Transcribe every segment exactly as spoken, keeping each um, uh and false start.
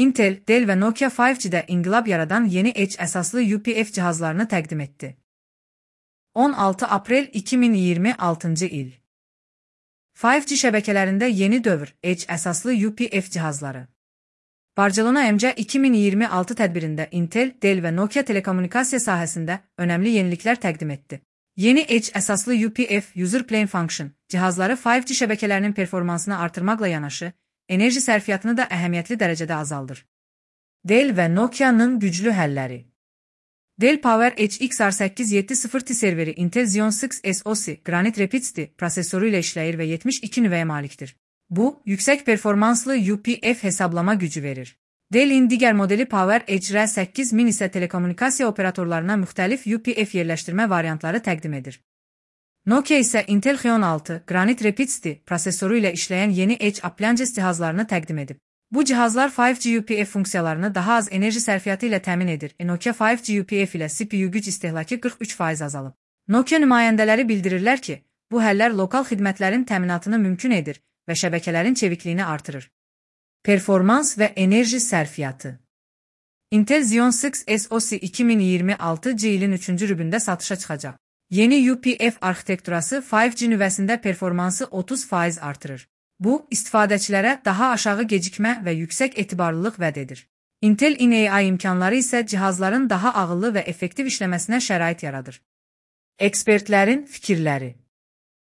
Intel, Dell və Nokia beş G'də inqilab yaradan yeni Edge əsaslı U P F cihazlarını təqdim etdi. on altı aprel iki min iyirmi altıncı il. beş G şəbəkələrində yeni dövr Edge əsaslı U P F cihazları. Barcelona M C iki min iyirmi altı tədbirində Intel, Dell və Nokia telekommunikasiya sahəsində önəmli yeniliklər təqdim etdi. Yeni Edge əsaslı U P F User Plane Function cihazları beş G şəbəkələrinin performansını artırmaqla yanaşı, enerji sərfiyyatını da əhəmiyyətli dərəcədə azaldır. Dell və Nokia'nın güclü həlləri. Dell PowerEdge X R səkkiz yeddi sıfır T serveri Intel Xeon altı S O C Granite Rapids T prosesoru ilə işləyir və yetmiş iki nüvəyə malikdir. Bu, yüksək performanslı U P F hesablama gücü verir. Dell'in digər modeli PowerEdge R səkkiz min isə telekommunikasiya operatorlarına müxtəlif U P F yerləşdirmə variantları təqdim edir. Nokia isə Intel Xeon altı Granite Rapids T prosesoru ilə işləyən yeni Edge Appliances cihazlarını təqdim edib. Bu cihazlar beş G U P F funksiyalarını daha az enerji sərfiyyatı ilə təmin edir. Nokia beş G U P F ilə C P U güc istehlakı qırx üç faiz azalıb. Nokia nümayəndələri bildirirlər ki, bu həllər lokal xidmətlərin təminatını mümkün edir və şəbəkələrin çevikliyini artırır. Performans və enerji sərfiyyatı. Intel Xeon altı S O C iki min iyirmi altı ilin üçüncü rübündə satışa çıxacaq. Yeni U P F arxitekturası beş G nüvəsində performansı otuz faiz artırır. Bu, istifadəçilərə daha aşağı gecikmə və yüksək etibarlılıq vəd edir. Intel in A I imkanları isə cihazların daha ağıllı və effektiv işləməsinə şərait yaradır. Ekspertlərin fikirləri.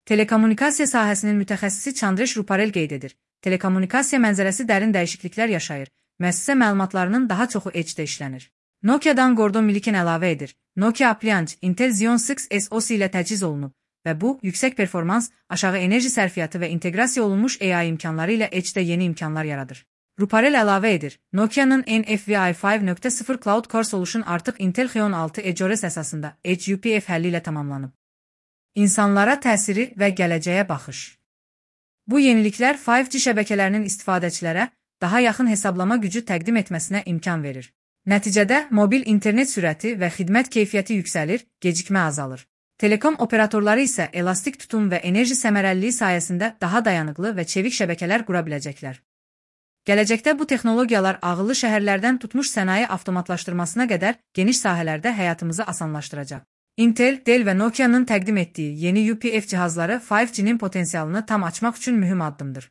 Telekommunikasiya sahəsinin mütəxəssisi Chandresh Ruparel qeyd edir. Telekommunikasiya mənzərəsi dərin dəyişikliklər yaşayır. Müəssisə məlumatlarının daha çoxu Edge-də işlənir. Nokia'dan Gordon Milliken əlavə edir. Nokia Appliance Intel Xeon altı S O C ilə təchiz olunub və bu, yüksək performans, aşağı enerji sərfiyyatı və inteqrasiya olunmuş A I imkanları ilə Edge-də yeni imkanlar yaradır. Ruparel əlavə edir. Nokia'nın N F V I beş nöqtə sıfır Cloud Core Solution artıq Intel Xeon altı EdgeOS əsasında Edge U P F həlli ilə tamamlanıb. İnsanlara təsiri və gələcəyə baxış. Bu yeniliklər beş G şəbəkələrinin istifadəçilərə daha yaxın hesablama gücü təqdim etməsinə imkan verir. Nəticədə mobil internet sürəti və xidmət keyfiyyəti yüksəlir, gecikmə azalır. Telekom operatorları isə elastik tutum və enerji səmərəliliyi sayəsində daha dayanıqlı və çevik şəbəkələr qura biləcəklər. Gələcəkdə bu texnologiyalar ağıllı şəhərlərdən tutmuş sənaye avtomatlaşdırmasına qədər geniş sahələrdə həyatımızı asanlaşdıracaq. Intel, Dell və Nokia'nın təqdim etdiyi yeni U P F cihazları beş G'nin potensialını tam açmaq üçün mühüm addımdır.